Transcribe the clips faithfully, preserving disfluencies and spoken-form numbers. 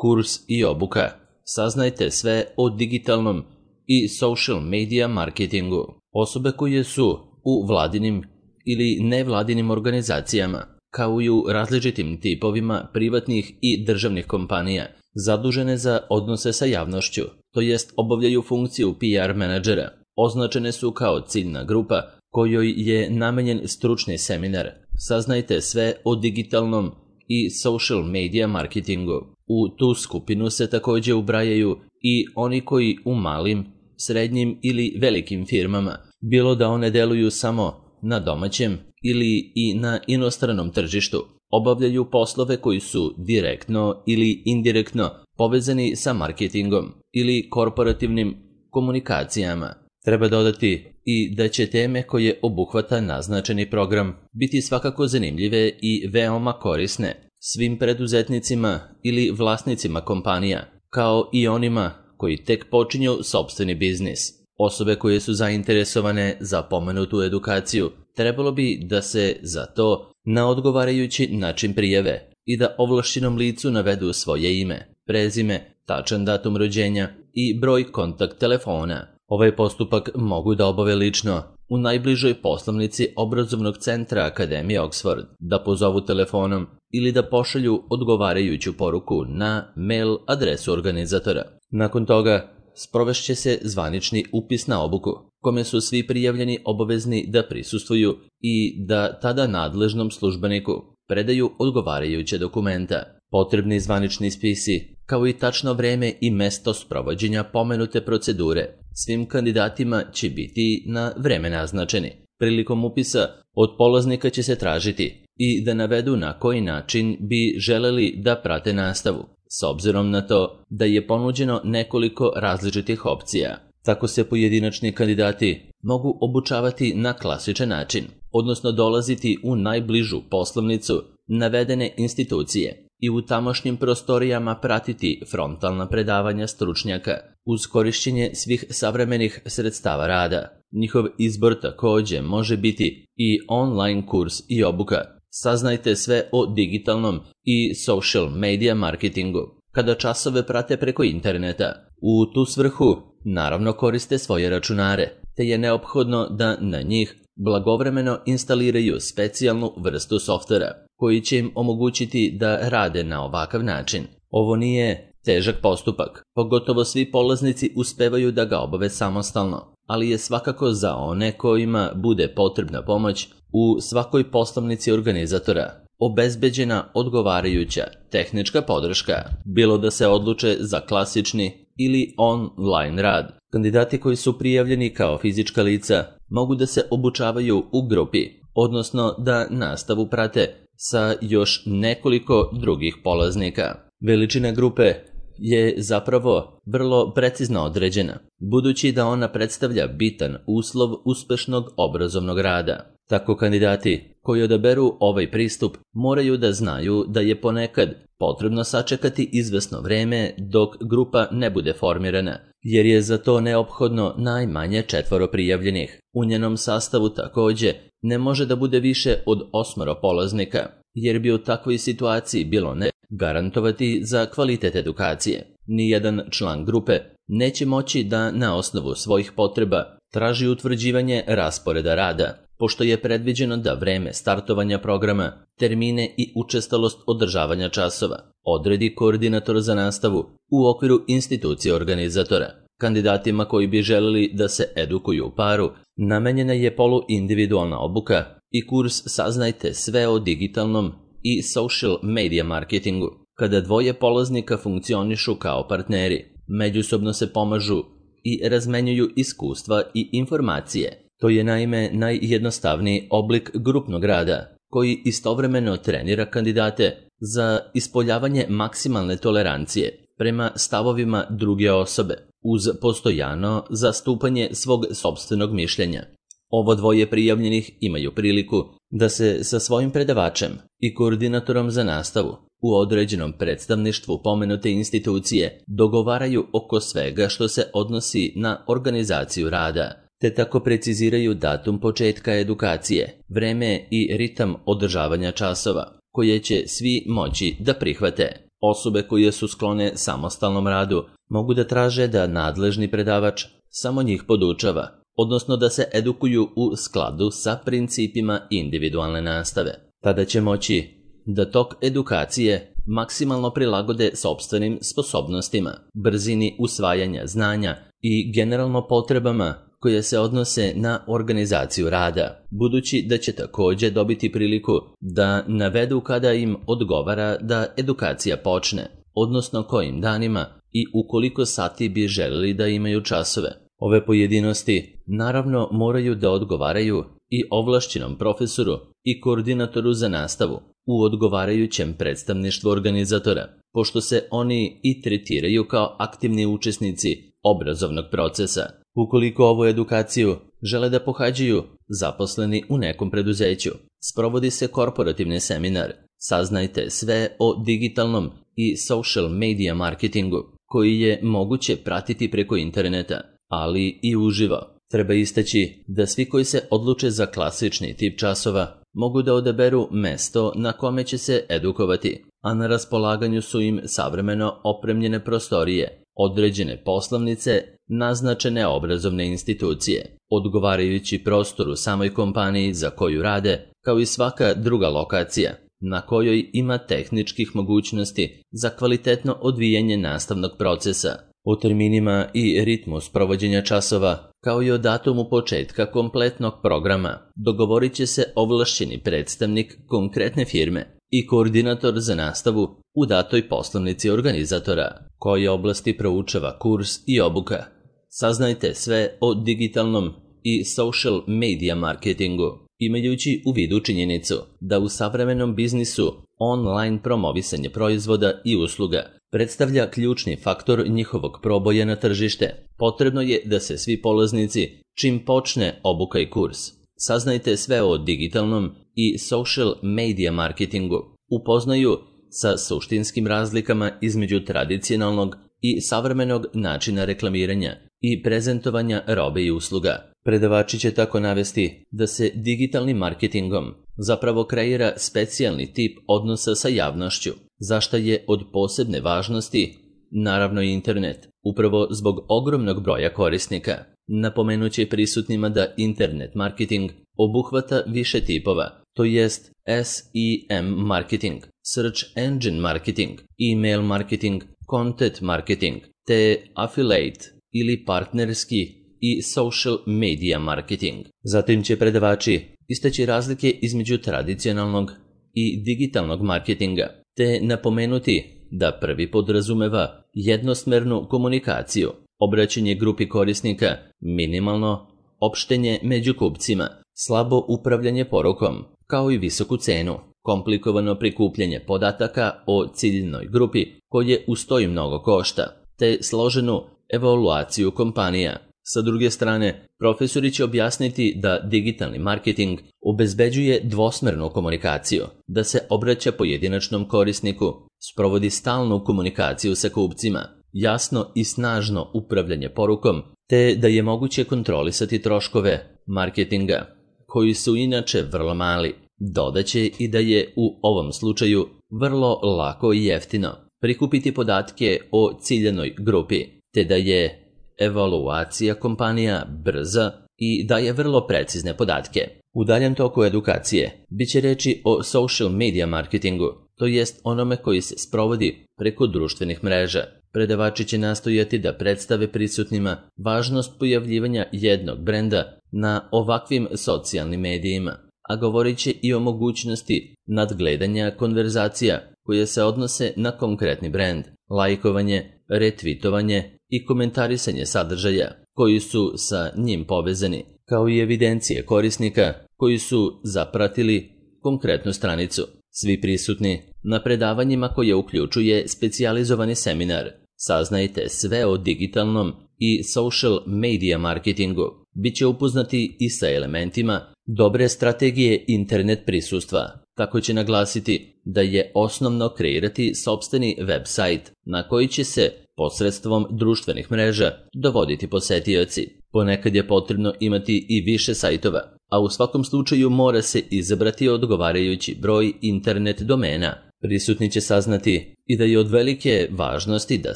kurs i obuka. Saznajte sve o digitalnom i social media marketingu. Osobe koje su u vladinim ili nevladinim organizacijama, kao i u različitim tipovima privatnih i državnih kompanija, zadužene za odnose sa javnošću, to jest obavljaju funkciju P R menadžera, označene su kao ciljna grupa kojoj je namenjen stručni seminar. Saznajte sve o digitalnom i social media marketingu. U tu skupinu se također ubrajaju i oni koji u malim, srednjim ili velikim firmama, bilo da one deluju samo na domaćem ili i na inostranom tržištu, obavljaju poslove koji su direktno ili indirektno povezani sa marketingom ili korporativnim komunikacijama. Treba dodati i da će teme koje obuhvata naznačeni program biti svakako zanimljive i veoma korisne svim preduzetnicima ili vlasnicima kompanija, kao i onima koji tek počinju sopstveni biznis. Osobe koje su zainteresovane za pomenutu edukaciju trebalo bi da se za to na odgovarajući način prijave i da ovlašćenom licu navedu svoje ime, prezime, tačan datum rođenja i broj kontakt telefona. Ovaj postupak mogu da obave lično u najbližoj poslovnici obrazovnog centra Akademije Oxford, da pozovu telefonom ili da pošalju odgovarajuću poruku na mail adresu organizatora. Nakon toga sprovešće se zvanični upis na obuku, kome su svi prijavljeni obavezni da prisustvuju i da tada nadležnom službeniku predaju odgovarajuće dokumenta. Potrebni zvanični spisi, kao i tačno vreme i mesto sprovođenja pomenute procedure, svim kandidatima će biti na vreme naznačeni. Prilikom upisa od polaznika će se tražiti i da navedu na koji način bi želeli da prate nastavu, s obzirom na to da je ponuđeno nekoliko različitih opcija. Tako se pojedinačni kandidati mogu obučavati na klasičan način, odnosno dolaziti u najbližu poslovnicu navedene institucije i u tamošnjim prostorijama pratiti frontalna predavanja stručnjaka uz korišćenje svih savremenih sredstava rada. Njihov izbor također može biti i online kurs i obuka. Saznajte sve o digitalnom i social media marketingu kada časove prate preko interneta. U tu svrhu naravno koriste svoje računare, te je neophodno da na njih blagovremeno instaliraju specijalnu vrstu softvera koji će im omogućiti da rade na ovakav način. Ovo nije težak postupak, pogotovo svi polaznici uspevaju da ga obave samostalno, ali je svakako za one kojima bude potrebna pomoć u svakoj poslovnici organizatora obezbeđena odgovarajuća tehnička podrška, bilo da se odluče za klasični ili online rad. Kandidati koji su prijavljeni kao fizička lica mogu da se obučavaju u grupi, odnosno da nastavu prate sa još nekoliko drugih polaznika. Veličina grupe je zapravo vrlo precizno određena, budući da ona predstavlja bitan uslov uspešnog obrazovnog rada. Tako kandidati koji odaberu ovaj pristup moraju da znaju da je ponekad potrebno sačekati izvesno vreme dok grupa ne bude formirana, jer je za to neophodno najmanje četvoro prijavljenih. U njenom sastavu također ne može da bude više od osmoro polaznika, jer bi u takvoj situaciji bilo ne garantovati za kvalitet edukacije. Nijedan član grupe neće moći da na osnovu svojih potreba traži utvrđivanje rasporeda rada, pošto je predviđeno da vreme startovanja programa, termine i učestalost održavanja časova odredi koordinator za nastavu u okviru institucije organizatora. Kandidatima koji bi želeli da se edukuju u paru namenjena je poluindividualna obuka i kurs Saznajte sve o digitalnom i social media marketingu. Kada dvoje polaznika funkcionišu kao partneri, međusobno se pomažu i razmenjuju iskustva i informacije. To je naime najjednostavniji oblik grupnog rada, koji istovremeno trenira kandidate za ispoljavanje maksimalne tolerancije prema stavovima druge osobe, uz postojano zastupanje svog sopstvenog mišljenja. Ovo dvoje prijavljenih imaju priliku da se sa svojim predavačem i koordinatorom za nastavu u određenom predstavništvu pomenute institucije dogovaraju oko svega što se odnosi na organizaciju rada, te tako preciziraju datum početka edukacije, vreme i ritam održavanja časova, koje će svi moći da prihvate. Osobe koje su sklone samostalnom radu mogu da traže da nadležni predavač samo njih podučava, odnosno da se edukuju u skladu sa principima individualne nastave. Tada će moći da tok edukacije maksimalno prilagode sopstvenim sposobnostima, brzini usvajanja znanja i generalno potrebama koje se odnose na organizaciju rada, budući da će također dobiti priliku da navedu kada im odgovara da edukacija počne, odnosno kojim danima i u koliko sati bi želeli da imaju časove. Ove pojedinosti naravno moraju da odgovaraju i ovlašćenom profesoru i koordinatoru za nastavu u odgovarajućem predstavništvu organizatora, pošto se oni i tretiraju kao aktivni učesnici obrazovnog procesa. Ukoliko ovu edukaciju žele da pohađaju zaposleni u nekom preduzeću, sprovodi se korporativni seminar. Saznajte sve o digitalnom i social media marketingu, koji je moguće pratiti preko interneta, ali i uživo. Treba istaći da svi koji se odluče za klasični tip časova mogu da odaberu mesto na kome će se edukovati, a na raspolaganju su im savremeno opremljene prostorije, određene poslovnice, naznačene obrazovne institucije, odgovarajući prostor u samoj kompaniji za koju rade, kao i svaka druga lokacija na kojoj ima tehničkih mogućnosti za kvalitetno odvijanje nastavnog procesa. O terminima i ritmu sprovođenja časova, kao i o datumu početka kompletnog programa, dogovorit će se ovlašćeni predstavnik konkretne firme i koordinator za nastavu u datoj poslovnici organizatora, koje oblasti proučava kurs i obuka. Saznajte sve o digitalnom i social media marketingu, imajući u vidu činjenicu da u savremenom biznisu online promovisanje proizvoda i usluga predstavlja ključni faktor njihovog proboja na tržište. Potrebno je da se svi polaznici, čim počne obuka i kurs, saznajte sve o digitalnom i social media marketingu, upoznaju sa suštinskim razlikama između tradicionalnog i savremenog načina reklamiranja i prezentovanja robe i usluga. Predavači će tako navesti da se digitalnim marketingom zapravo kreira specijalni tip odnosa sa javnošću, zašta je od posebne važnosti, naravno i internet, upravo zbog ogromnog broja korisnika. Napomenuće prisutnima da internet marketing obuhvata više tipova, to jest S E M marketing, Search Engine marketing, email marketing, content marketing, te affiliate ili partnerski i social media marketing. Zatim će predavači istaći razlike između tradicionalnog i digitalnog marketinga, te napomenuti da prvi podrazumeva jednosmernu komunikaciju, obraćanje grupi korisnika, minimalno opštenje među kupcima, slabo upravljanje porukom, kao i visoku cenu, komplikovano prikupljanje podataka o ciljnoj grupi koje ustoji mnogo košta, te složenu evaluaciju kompanija. Sa druge strane, profesori će objasniti da digitalni marketing obezbeđuje dvosmernu komunikaciju, da se obraća pojedinačnom korisniku, sprovodi stalnu komunikaciju sa kupcima, jasno i snažno upravljanje porukom, te da je moguće kontrolisati troškove marketinga, koji su inače vrlo mali. Dodaće i da je u ovom slučaju vrlo lako i jeftino prikupiti podatke o ciljanoj grupi, te da je evaluacija kompanija brza i daje vrlo precizne podatke. U daljem toku edukacije bit će reći o social media marketingu, to jest onome koji se sprovodi preko društvenih mreža. Predavači će nastojati da predstave prisutnima važnost pojavljivanja jednog brenda na ovakvim socijalnim medijima, a govorit će i o mogućnosti nadgledanja konverzacija koje se odnose na konkretni brend, lajkovanje, retvitovanje i komentarisanje sadržaja koji su sa njim povezani, kao i evidencije korisnika koji su zapratili konkretnu stranicu. Svi prisutni na predavanjima koje uključuje specijalizovani seminar, saznajte sve o digitalnom i social media marketingu. Biće upoznati i sa elementima dobre strategije internet prisustva. Tako će naglasiti da je osnovno kreirati sopstveni web sajt na koji će se posredstvom društvenih mreža dovoditi posetioci. Ponekad je potrebno imati i više sajtova, a u svakom slučaju mora se izabrati odgovarajući broj internet domena Prisutni će saznati i da je od velike važnosti da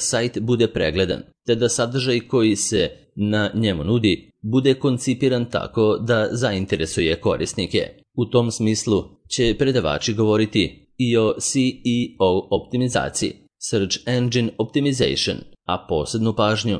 sajt bude pregledan, te da sadržaj koji se na njemu nudi bude koncipiran tako da zainteresuje korisnike. U tom smislu će predavači govoriti i o C E O optimizaciji, Search Engine Optimization, a posebnu pažnju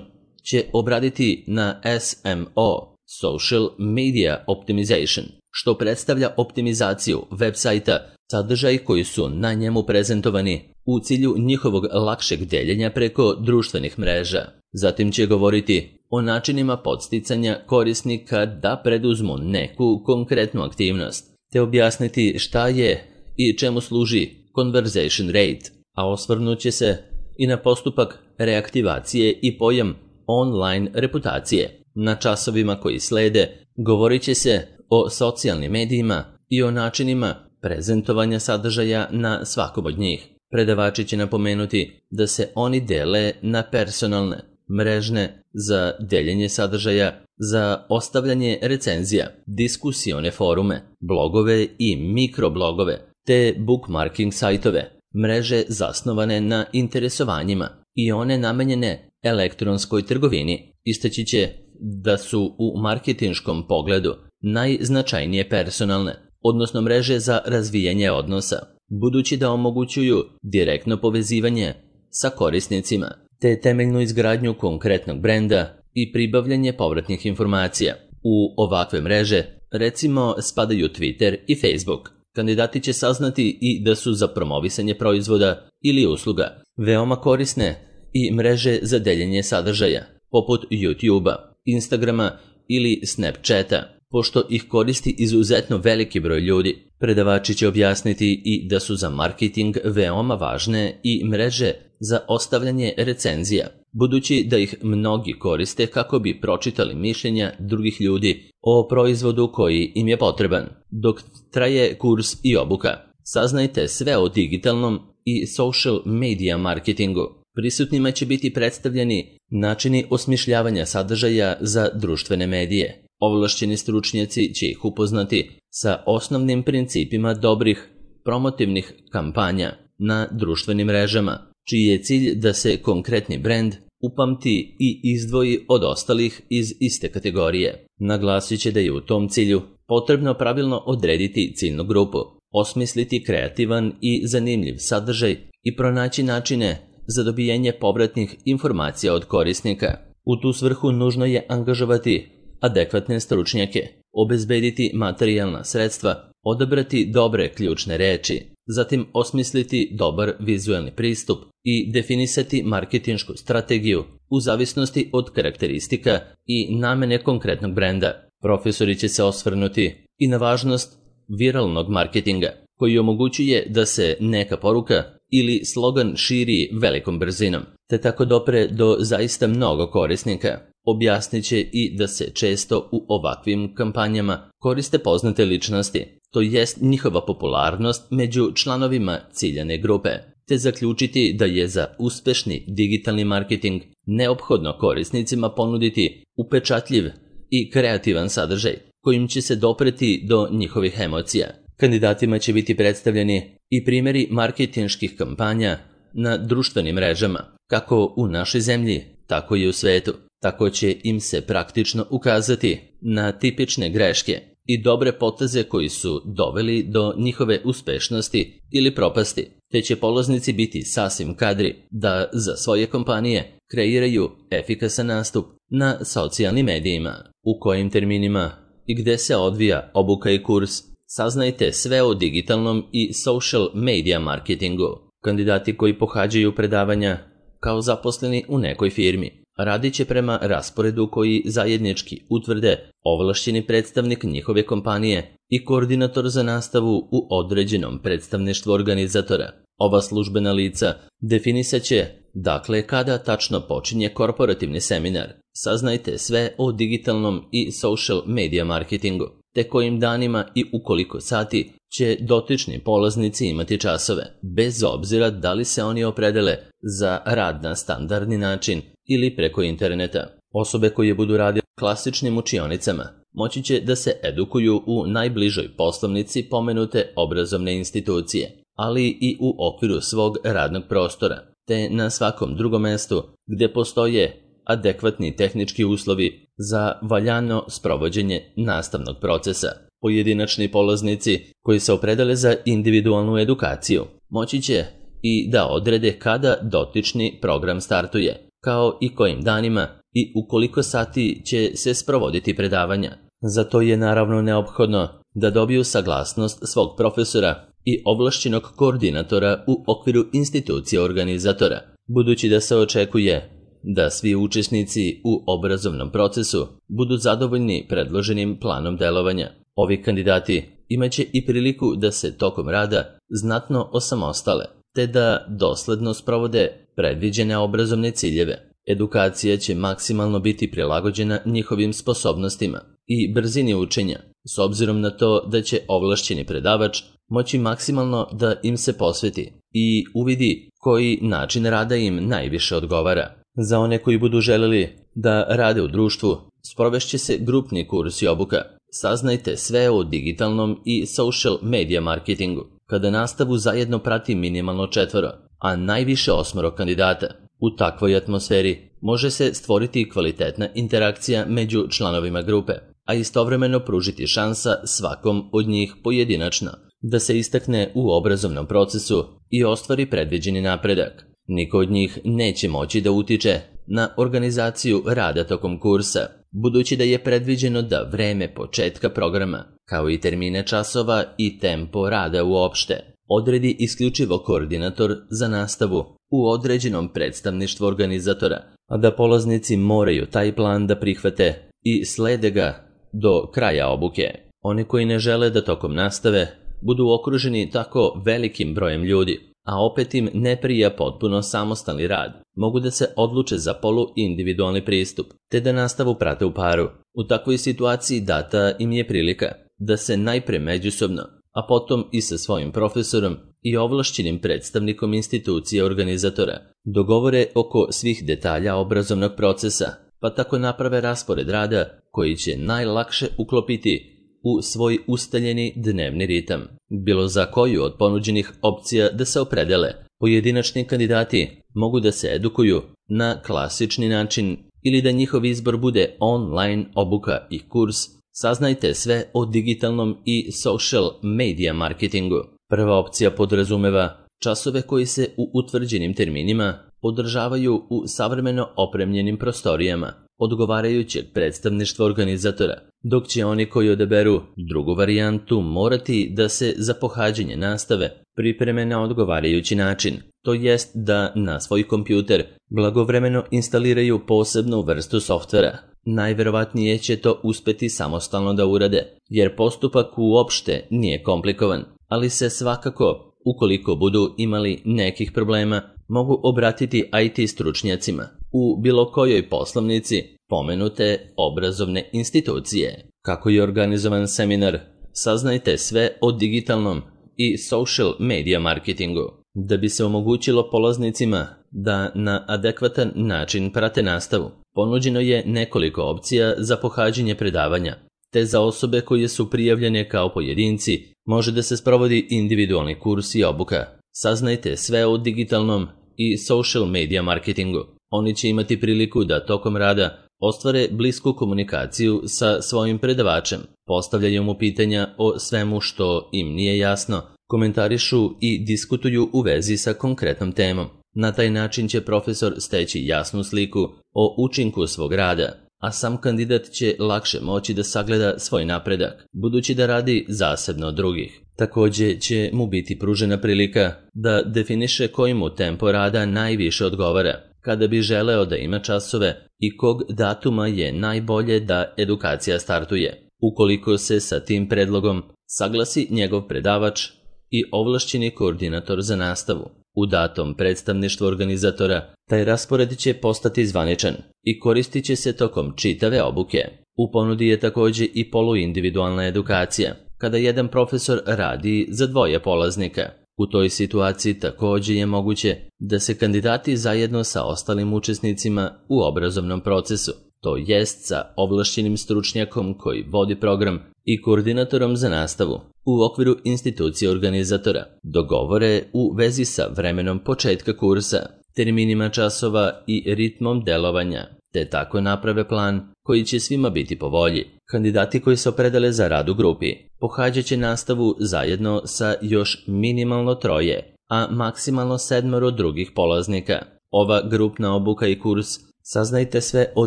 će obraditi na S M O, Social Media Optimization, što predstavlja optimizaciju web sajta, sadržaj koji su na njemu prezentovani u cilju njihovog lakšeg deljenja preko društvenih mreža. Zatim će govoriti o načinima podsticanja korisnika da preduzmu neku konkretnu aktivnost, te objasniti šta je i čemu služi conversation rate, a osvrnut će se i na postupak reaktivacije i pojam online reputacije. Na časovima koji slede govorit će se o socijalnim medijima i o načinima prezentovanja sadržaja na svakom od njih. Predavači će napomenuti da se oni dele na personalne, mrežne za deljenje sadržaja, za ostavljanje recenzija, diskusione forume, blogove i mikroblogove, te bookmarking sajtove, mreže zasnovane na interesovanjima i one namenjene elektronskoj trgovini. Istaći će da su u marketinškom pogledu najznačajnije personalne, odnosno mreže za razvijanje odnosa, budući da omogućuju direktno povezivanje sa korisnicima, te temeljnu izgradnju konkretnog brenda i pribavljanje povratnih informacija. U ovakve mreže, recimo, spadaju Twitter i Facebook. Kandidati će saznati i da su za promovisanje proizvoda ili usluga veoma korisne i mreže za deljenje sadržaja, poput YouTube-a, Instagrama ili Snapchata, pošto ih koristi izuzetno veliki broj ljudi. Predavači će objasniti i da su za marketing veoma važne i mreže za ostavljanje recenzija, budući da ih mnogi koriste kako bi pročitali mišljenja drugih ljudi o proizvodu koji im je potreban. Dok traje kurs i obuka, saznajte sve o digitalnom i social media marketingu. Prisutnima će biti predstavljeni načini osmišljavanja sadržaja za društvene medije. Ovlašćeni stručnjaci će ih upoznati sa osnovnim principima dobrih promotivnih kampanja na društvenim mrežama, čiji je cilj da se konkretni brend upamti i izdvoji od ostalih iz iste kategorije. Naglasit će da je u tom cilju potrebno pravilno odrediti ciljnu grupu, osmisliti kreativan i zanimljiv sadržaj i pronaći načine za dobijanje povratnih informacija od korisnika. U tu svrhu nužno je angažovati adekvatne stručnjake, obezbediti materijalna sredstva, odabrati dobre ključne reči, zatim osmisliti dobar vizuelni pristup i definisati marketinšku strategiju u zavisnosti od karakteristika i namene konkretnog brenda. Profesori će se osvrnuti i na važnost viralnog marketinga, koji omogućuje da se neka poruka ili slogan širi velikom brzinom, te tako dopre do zaista mnogo korisnika. Objasnit će i da se često u ovakvim kampanjama koriste poznate ličnosti, to jest njihova popularnost među članovima ciljane grupe, te zaključiti da je za uspešni digitalni marketing neophodno korisnicima ponuditi upečatljiv i kreativan sadržaj kojim će se dopreti do njihovih emocija. Kandidatima će biti predstavljeni i primjeri marketinških kampanja na društvenim mrežama, kako u našoj zemlji, tako i u svetu. Tako će im se praktično ukazati na tipične greške i dobre poteze koji su doveli do njihove uspešnosti ili propasti, te će polaznici biti sasvim kadri da za svoje kompanije kreiraju efikasan nastup na socijalnim medijima. U kojim terminima i gde se odvija obuka i kurs, saznajte sve o digitalnom i social media marketingu. Kandidati koji pohađaju predavanja kao zaposleni u nekoj firmi radit će prema rasporedu koji zajednički utvrde ovlašćeni predstavnik njihove kompanije i koordinator za nastavu u određenom predstavništvu organizatora. Ova službena lica definisat će, dakle, kada tačno počinje korporativni seminar. Saznajte sve o digitalnom i social media marketingu, te kojim danima i u koliko sati će dotični polaznici imati časove, bez obzira da li se oni opredele za rad na standardni način ili preko interneta. Osobe koje budu radile klasičnim učionicama moći će da se edukuju u najbližoj poslovnici pomenute obrazovne institucije. ali i u okviru svog radnog prostora, te na svakom drugom mestu gdje postoje adekvatni tehnički uslovi za valjano sprovođenje nastavnog procesa. Pojedinačni polaznici koji se opredele za individualnu edukaciju moći će i da odrede kada dotični program startuje, kao i kojim danima i u koliko sati će se sprovoditi predavanja. Za to je naravno neophodno da dobiju saglasnost svog profesora i ovlašćenog koordinatora u okviru institucije organizatora, budući da se očekuje da svi učesnici u obrazovnom procesu budu zadovoljni predloženim planom delovanja. Ovi kandidati imaće i priliku da se tokom rada znatno osamostale, te da dosledno sprovode predviđene obrazovne ciljeve. Edukacija će maksimalno biti prilagođena njihovim sposobnostima i brzini učenja, s obzirom na to da će ovlašćeni predavač moći maksimalno da im se posveti i uvidi koji način rada im najviše odgovara. Za one koji budu želeli da rade u društvu, sprovešće se grupni kurs i obuka. Saznajte sve o digitalnom i social media marketingu, kada nastavu zajedno prati minimalno četvoro, a najviše osmoro kandidata. U takvoj atmosferi može se stvoriti kvalitetna interakcija među članovima grupe, a istovremeno pružiti šansa svakom od njih pojedinačno da se istakne u obrazovnom procesu i ostvari predviđeni napredak. Niko od njih neće moći da utiče na organizaciju rada tokom kursa, budući da je predviđeno da vreme početka programa, kao i termine časova i tempo rada uopšte, odredi isključivo koordinator za nastavu u određenom predstavništvu organizatora, a da polaznici moraju taj plan da prihvate i slede ga do kraja obuke. Oni koji ne žele da tokom nastave budu okruženi tako velikim brojem ljudi, a opet im ne prija potpuno samostalni rad, mogu da se odluče za polu-individualni pristup, te da nastavu prate u paru. U takvoj situaciji data im je prilika da se najpre međusobno, a potom i sa svojim profesorom i ovlašćenim predstavnikom institucije organizatora dogovore oko svih detalja obrazovnog procesa, pa tako naprave raspored rada koji će najlakše uklopiti u svoj ustaljeni dnevni ritam. Bilo za koju od ponuđenih opcija da se opredele, pojedinačni kandidati mogu da se edukuju na klasični način ili da njihov izbor bude online obuka i kurs. Saznajte sve o digitalnom i social media marketingu. Prva opcija podrazumeva časove koji se u utvrđenim terminima održavaju u savremeno opremljenim prostorijama odgovarajućeg predstavništva organizatora, dok će oni koji odaberu drugu varijantu morati da se za pohađanje nastave pripreme na odgovarajući način, to jest da na svoj kompjuter blagovremeno instaliraju posebnu vrstu softvera. Najverovatnije će to uspeti samostalno da urade, jer postupak uopšte nije komplikovan, ali se svakako, ukoliko budu imali nekih problema, mogu obratiti I T stručnjacima u bilo kojoj poslovnici pomenute obrazovne institucije. Kako je organizovan seminar, saznajte sve o digitalnom i social media marketingu. Da bi se omogućilo polaznicima da na adekvatan način prate nastavu, ponuđeno je nekoliko opcija za pohađanje predavanja, te za osobe koje su prijavljene kao pojedinci može da se sprovodi individualni kurs i obuka. Saznajte sve o digitalnom i social media marketingu. Oni će imati priliku da tokom rada ostvare blisku komunikaciju sa svojim predavačem, postavljaju mu pitanja o svemu što im nije jasno, komentarišu i diskutuju u vezi sa konkretnom temom. Na taj način će profesor steći jasnu sliku o učinku svog rada, a sam kandidat će lakše moći da sagleda svoj napredak, budući da radi zasebno od drugih. Također će mu biti pružena prilika da definiše koji mu tempo rada najviše odgovara, kada bi želeo da ima časove i kog datuma je najbolje da edukacija startuje. Ukoliko se sa tim predlogom saglasi njegov predavač i ovlašćeni koordinator za nastavu u datom predstavništvu organizatora, taj raspored će postati zvaničan i koristit će se tokom čitave obuke. U ponudi je također i poluindividualna edukacija, kada jedan profesor radi za dvoje polaznika. U toj situaciji također je moguće da se kandidati zajedno sa ostalim učesnicima u obrazovnom procesu, to jest sa ovlašćenim stručnjakom koji vodi program i koordinatorom za nastavu u okviru institucije organizatora, dogovore u vezi sa vremenom početka kursa, terminima časova i ritmom delovanja, te tako naprave plan koji će svima biti po volji. Kandidati koji se opredele za rad u grupi pohađat će nastavu zajedno sa još minimalno troje, a maksimalno sedmoro drugih polaznika. Ova grupna obuka i kurs Saznajte sve o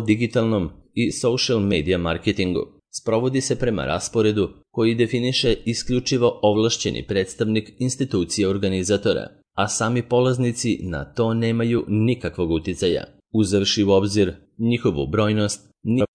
digitalnom i social media marketingu sprovodi se prema rasporedu koji definiše isključivo ovlašćeni predstavnik institucije organizatora, a sami polaznici na to nemaju nikakvog uticaja. Uzevši u obzir njihovu brojnost,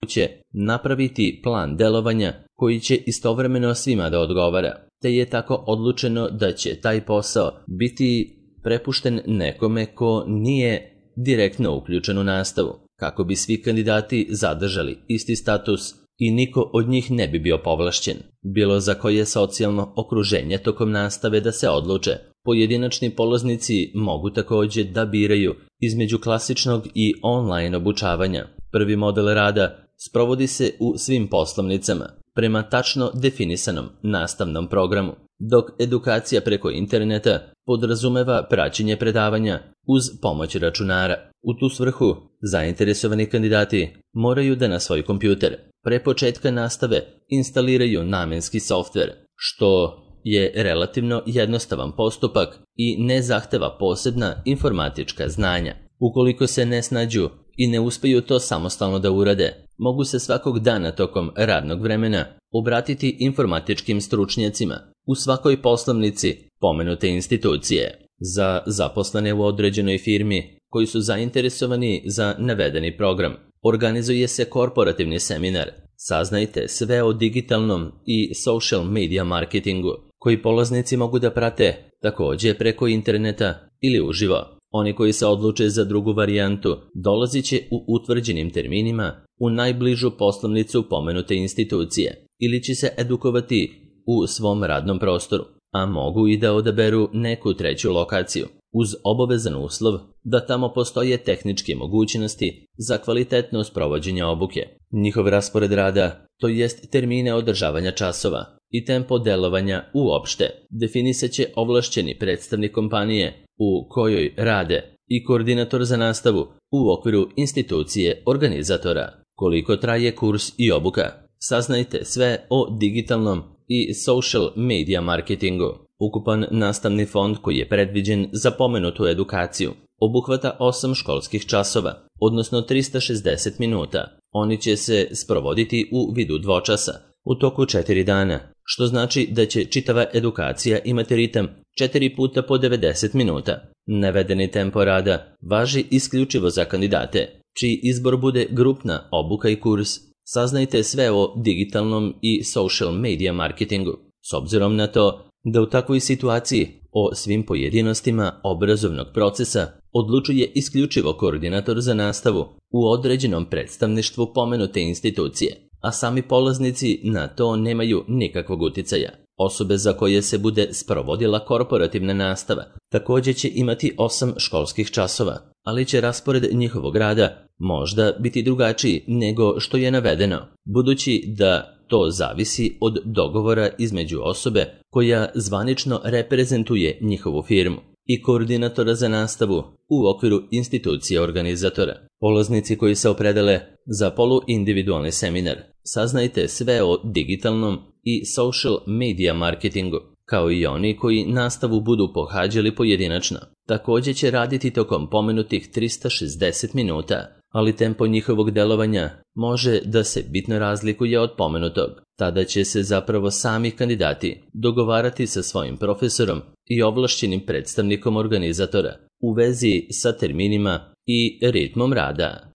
će napraviti plan delovanja koji će istovremeno svima da odgovara, te je tako odlučeno da će taj posao biti prepušten nekome ko nije direktno uključen u nastavu, kako bi svi kandidati zadržali isti status i niko od njih ne bi bio povlašćen. Bilo za koje socijalno okruženje tokom nastave da se odluče, pojedinačni polaznici mogu također da biraju između klasičnog i online obučavanja. Prvi model rada sprovodi se u svim poslovnicama prema tačno definisanom nastavnom programu, dok edukacija preko interneta podrazumeva praćenje predavanja uz pomoć računara. U tu svrhu zainteresovani kandidati moraju da na svoj kompjuter pre početka nastave instaliraju namenski softver, što je relativno jednostavan postupak i ne zahteva posebna informatička znanja. Ukoliko se ne snađu i ne uspeju to samostalno da urade, mogu se svakog dana tokom radnog vremena obratiti informatičkim stručnjacima u svakoj poslovnici pomenute institucije. Za zaposlene u određenoj firmi koji su zainteresovani za navedeni program, organizuje se korporativni seminar Saznajte sve o digitalnom i social media marketingu, koji polaznici mogu da prate također preko interneta ili uživo. Oni koji se odluče za drugu varijantu dolazit će u utvrđenim terminima u najbližu poslovnicu pomenute institucije ili će se edukovati u svom radnom prostoru, a mogu i da odaberu neku treću lokaciju, uz obavezan uslov da tamo postoje tehničke mogućnosti za kvalitetno sprovođenje obuke. Njihov raspored rada, to jest termine održavanja časova i tempo delovanja uopšte, definisat će ovlašćeni predstavnik kompanije u kojoj rade i koordinator za nastavu u okviru institucije organizatora. Koliko traje kurs i obuka? Saznajte sve o digitalnom i social media marketingu. Ukupan nastavni fond koji je predviđen za pomenutu edukaciju obuhvata osam školskih časova, odnosno trista šezdeset minuta. Oni će se sprovoditi u vidu dvočasa u toku četiri dana, što znači da će čitava edukacija imati ritam četiri puta po devedeset minuta. Navedeni tempo rada važi isključivo za kandidate, čiji izbor bude grupna obuka i kurs. Saznajte sve o digitalnom i social media marketingu, s obzirom na to da u takvoj situaciji o svim pojedinostima obrazovnog procesa odlučuje isključivo koordinator za nastavu u određenom predstavništvu pomenute institucije, a sami polaznici na to nemaju nikakvog uticaja. Osobe za koje se bude sprovodila korporativna nastava također će imati osam školskih časova, ali će raspored njihovog rada možda biti drugačiji nego što je navedeno, budući da to zavisi od dogovora između osobe koja zvanično reprezentuje njihovu firmu i koordinatora za nastavu u okviru institucije organizatora. Polaznici koji se opredele za poluindividualni seminar saznajte sve o digitalnom i social media marketingu, kao i oni koji nastavu budu pohađali pojedinačno. Također će raditi tokom pomenutih trista šezdeset minuta, ali tempo njihovog delovanja može da se bitno razlikuje od pomenutog. Tada će se zapravo sami kandidati dogovarati sa svojim profesorom i ovlašćenim predstavnikom organizatora u vezi sa terminima i ritmom rada.